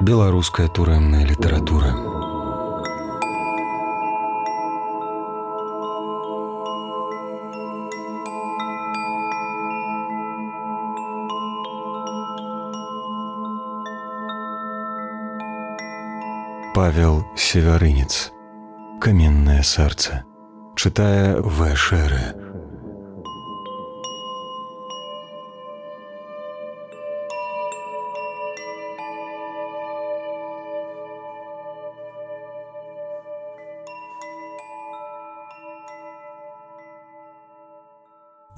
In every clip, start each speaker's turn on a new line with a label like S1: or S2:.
S1: Беларуская турэмная літаратура. Павел Севярынец. Каменное сердце. Читая В. Шеры.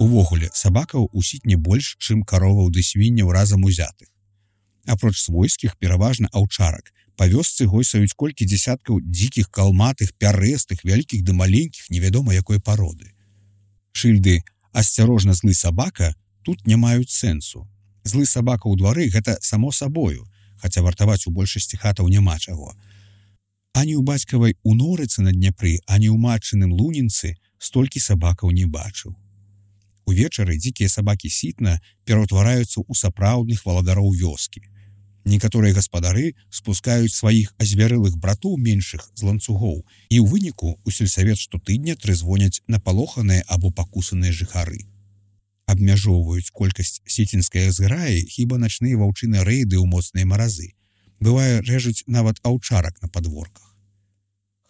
S2: Увогуле, сабакаў у сітні больш, чым кароваў ды свінняў разам узятых. Апроч свойскіх, пераважна аўчарак, па вёсцы гойсаюць колькі дзесяткаў дзікіх, калматых, пярэстых, вялікіх ды маленькіх, невядома якой пароды. Шыльды «Асцярожна, злы сабака» тут не маюць сэнсу. Злы сабака ў двары – гэта само сабою, хаця вартаваць у большасці хатаў няма чаго. Ані ў бацькавай Унорыцы на Дняпры, ані ў матчыным Лунінцы столькі сабакаў не бачыў. Увечары дзікія сабакі сітна пераўтвараюцца ў сапраўдных валадароў вёскі. Некаторыя гаспадары спускаюць сваіх азвярылых братоў меншых з ланцугоў, і ў выніку у сельсавет штотыдня трызвоняць напалоханыя або пакусаныя жыхары. Абмяжоўваюць колькасць сіцінскай зграі хіба начныя ваўчыныя рэйды ў моцныя маразы. Бывае, рэжуць нават аўчарак на падворках.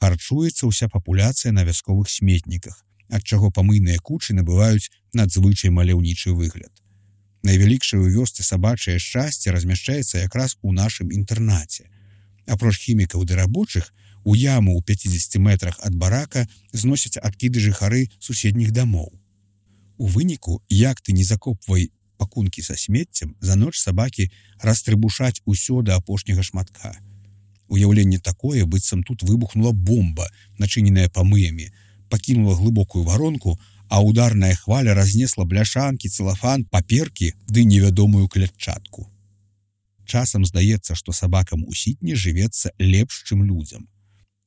S2: Харчуецца ўся папуляцыя на вясковых сметніках, ад чаго памыйныя кучы набываюць надзвычай маляўнічы выгляд. Найвялікшае ў вёсцы сабачае шчасце размяшчаецца якраз у нашым інтэрнаце. Апроч хімікаў ды рабочых, у яму ў 50 метрах ад барака зносяць адкіды жыхары суседніх дамоў. У выніку, як ты не закопвай пакункі са смеццем, за ноч сабакі растрыбушаць усё да апошняга шматка. Уяўленне такое, быццам тут выбухнула бомба, начыненая памыямі, пакінула глыбокую варонку, а ударная хваля разнесла бляшанкі, цэлафан, паперкі ды невядомую клятчатку. Часам здаецца, што сабакам у сітні жывецца лепш, чым людзям.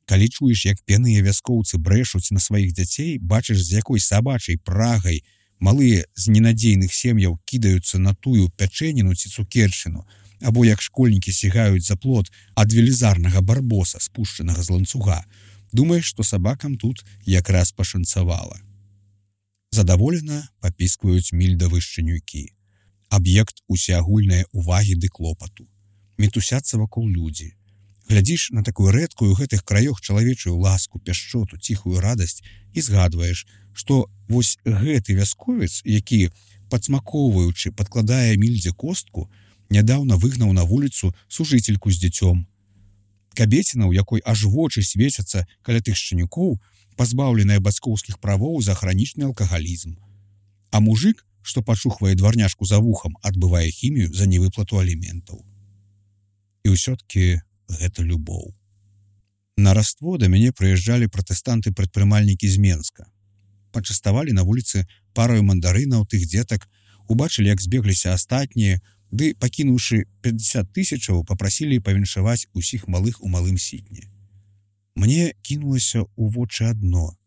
S2: Калі чуеш, як п'яныя вяскоўцы брэшуць на сваіх дзяцей, бачыш, з якой сабачай прагай малыя з ненадзейных сем'яў кідаюцца на тую пячэніну ці цукерчыну, або як школьнікі сігаюць за плот ад велізарнага барбоса, спушчанага з ланцуга, думаеш, што сабакам тут якраз пашанцавала. Задаволена папіскваюць мільдавы шчанюкі. Аб'ект усеагульнай увагі ды клопату. Мітусяцца вакол людзі. Глядзіш на такую рэдкую ў гэтых краёх чалавечую ласку, пяшчоту, ціхую радасць і згадваеш, што вось гэты вясковец, які, падсмакоўваючы, падкладае мільдзе костку, нядаўна выгнаў на вуліцу сужыцельку з дзіцём. Кабеціна, у якой аж вочы свецяцца каля тых шчанюкоў, пазбаўленая бацькоўскіх правоў за хранічны алкагалізм. А мужык, што пачухвае дварняшку за вухам, адбывае хімію за невыплату аліментаў. І ўсё-ткі гэта любоў. На раство да мяне прыязджалі пратэстанты-прадпрымальнікі з Менска. Пачаставалі на вуліцы параю мандарынаў тых дзетак, убачылі, як збегліся астатнія, ды, пакінуўшы 50 тысячаў, папрасілі павіншаваць усіх малых у малым сітні. Мне кінулася ў вочы адно.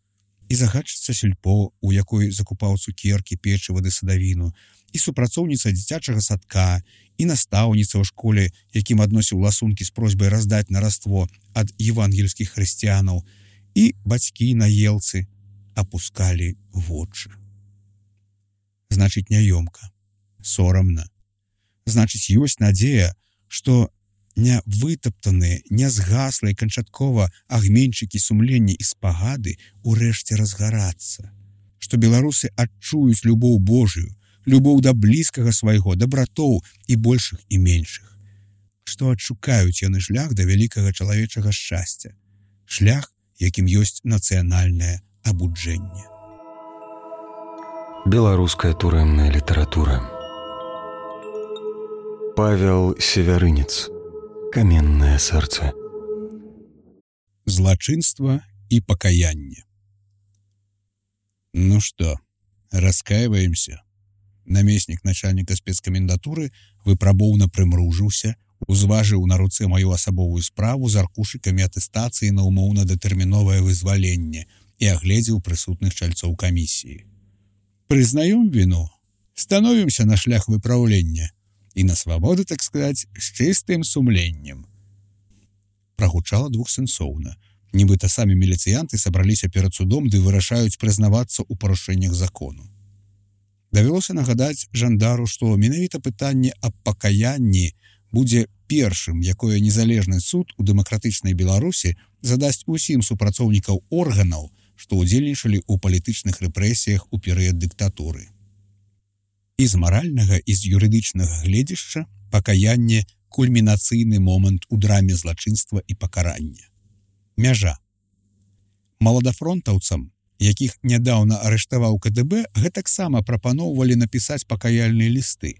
S2: І загадчыца сельпо, у якой закупаў цукеркі, печыва ды садавіну, і супрацоўніца дзіцячага садка, і настаўніца ў школе, якім адносіў ласункі з просьбай раздаць на раство ад евангельскіх хрысціянаў, і бацькі на елцы апускалі вочы. Значыць, няёмка, сорамна. Значыць, ёсць надзея, што не вытаптаныя, не згаслыя канчаткова агменьчыкі сумлення і спагады ўрэшце разгарацца. Што беларусы адчуюць любоў Божую, любоў да блізкага свайго, да братоў і большых і меншых. Што адшукаюць яны шлях да вялікага чалавечага шчасця. Шлях, якім ёсць нацыянальнае абуджэнне.
S1: Беларуская турэмная літаратура. Павел Севярынец. Каменное сердце.
S2: Злачынства і пакаянне. Ну што, раскаиваемся? Намеснік начальніка спецкамендатуры выпрабоўна прымружыўся, узважыў на руцэ маю асабовую справу з аркушыкамі атэстацыі на умоўна-датэрміновае вызваленне і агледзеў прысутных чальцоў камісіі. Прызнаём віну, становімся на шлях выпраўлення і на свабоду, так сказаць, з чыстым сумленнем. прагучала двухсэнсоўна. Нібыта самі міліцыянты сабраліся перад судом ды вырашаюць прызнавацца ў парушэннях закону. Давялося нагадаць жандару, што менавіта пытанне аб пакаянні будзе першым, якое незалежны суд у дэмакратычнай Беларусі задасць усім супрацоўнікаў органаў, што ўдзельнічалі ў палітычных рэпрэсіях у перыяд дыктатуры. І з маральнага, і з юрыдычнага гледзішча пакаянне – кульмінацыйны момант у драме злачынства і пакарання. Мяжа. Маладафронтаўцам, якіх нядаўна арыштаваў КДБ, гэтаксама прапаноўвалі напісаць пакаяльныя лісты.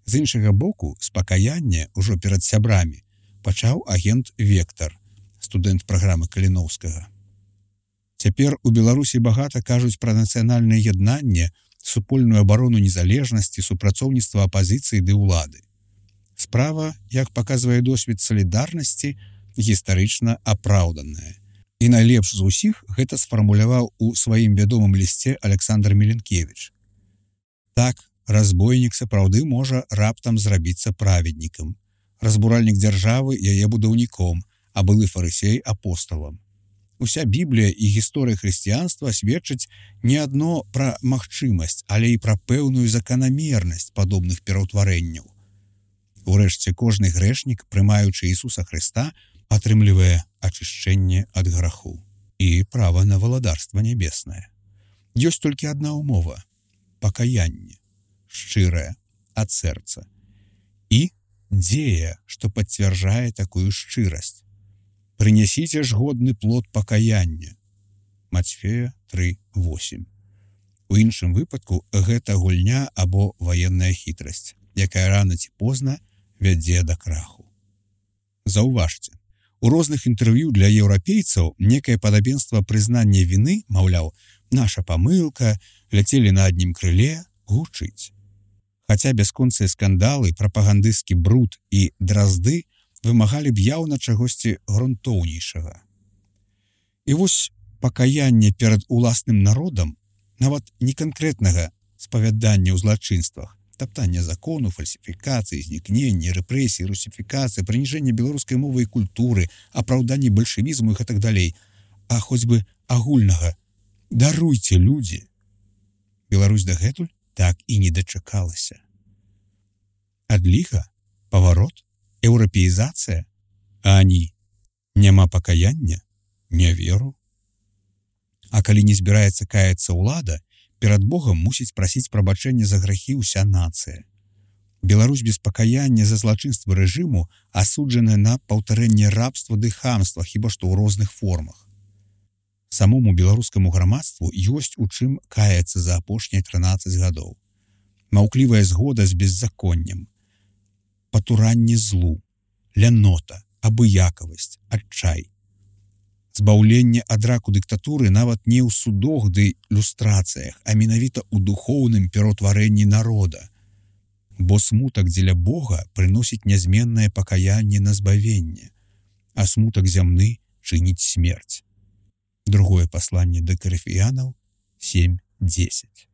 S2: З іншага боку, з пакаяння ўжо перад сябрамі пачаў агент Вектар, студэнт праграмы Каліноўскага. Цяпер у Беларусі багата кажуць пра нацыянальнае яднанне, супольную абарону незалежнасці, супрацоўніцтва апазіцыі ды ўлады. Справа, як паказвае досвед салідарнасці, гістарычна апраўданая. І найлепш з усіх гэта сфармуляваў у сваім вядомым лісце Александр Міленкевіч. Так, разбойнік сапраўды можа раптам зрабіцца праведнікам, разбуральнік дзяржавы яе будаўніком, а былы фарысей апосталам. Уся Біблія і гісторыя хрысціянства сведчаць не адно пра магчымасць, але і пра пэўную заканамернасць падобных пераўтварэнняў. Урэшце, кожны грэшнік, прымаючы Ісуса Хрыста, атрымлівае ачышчэнне ад граху і права на валадарства нябеснае. Ёсць толькі адна ўмова – пакаянне, шчырае, ад сэрца. І дзея, што пацвярджае такую шчырасць. Прынясіце ж годны плод пакаяння. Мацфея 3:8. У іншым выпадку гэта гульня або ваенная хітрасць, якая рана ці позна вядзе да краху. Заўважце, у розных інтэрв'ю для еўрапейцаў некае падабенства прызнання віны, маўляў, наша памылка, ляцелі на адным крыле, гучыць. Хаця бясконцыя скандалы, прапагандысцкі бруд і дразды вымагалі б яўна чагосьці грунтоўнейшага. І вось пакаянне перад уласным народам, нават не канкрэтнага спавядання ў злачынствах, таптання закону, фальсіфікацыі, знікнення, рэпрэсіі, русіфікацыі, прыніжэння беларускай мовы і культуры, апраўданні бальшавізму і гэтак далей, а хоць бы агульнага «даруйце, людзі». Беларусь дагэтуль так і не дачакалася. Адліга, паварот, еўрапеізацыя, а ані няма пакаяння, не веру. А калі не збіраецца каяцца ўлада, перад Богам мусіць прасіць прабачэння за грахі ўся нацыя. Беларусь без пакаяння за злачынствы рэжыму асуджаная на паўтарэнне рабства ды хамства, хіба што ў розных формах. Самому беларускаму грамадству ёсць у чым каяцца за апошнія 13 гадоў. Маўклівая згода з беззаконнем, патуранне злу, лянота, абыякавасць, адчай. Збаўленне ад раку дыктатуры нават не ў судах ды люстрацыях, а менавіта ў духоўным пераўтварэнні народа. Бо смутак дзеля Бога прыносіць нязменнае пакаянне на збавенне, а смутак зямны чыніць смерць. Другое пасланне да Карыфіянаў 7:10.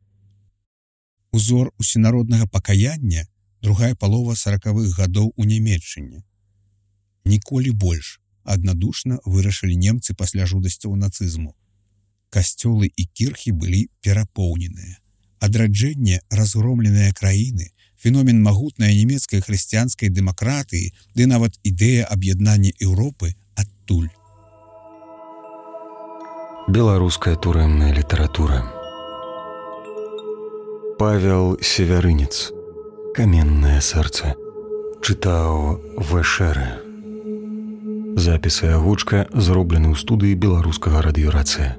S2: Узор усенароднага пакаяння другая палова 40-х гадоў у Нямецчыне. Ніколі больш аднадушна вырашылі немцы пасля жудасцяў нацызму. Касцёлы і кірхі былі перапоўненыя. Адраджэнне разгромленыя краіны, феномен магутнай нямецкай хрысціянскай дэмакратыі ды нават ідэя аб'яднання Еўропы адтуль.
S1: Беларуская турэмная літаратура. Павел Севярынец. «Каменное сердце». Чытаў Вэшэрэ. Запіс і агучка зроблены ў студыі беларускага радыёрацыя.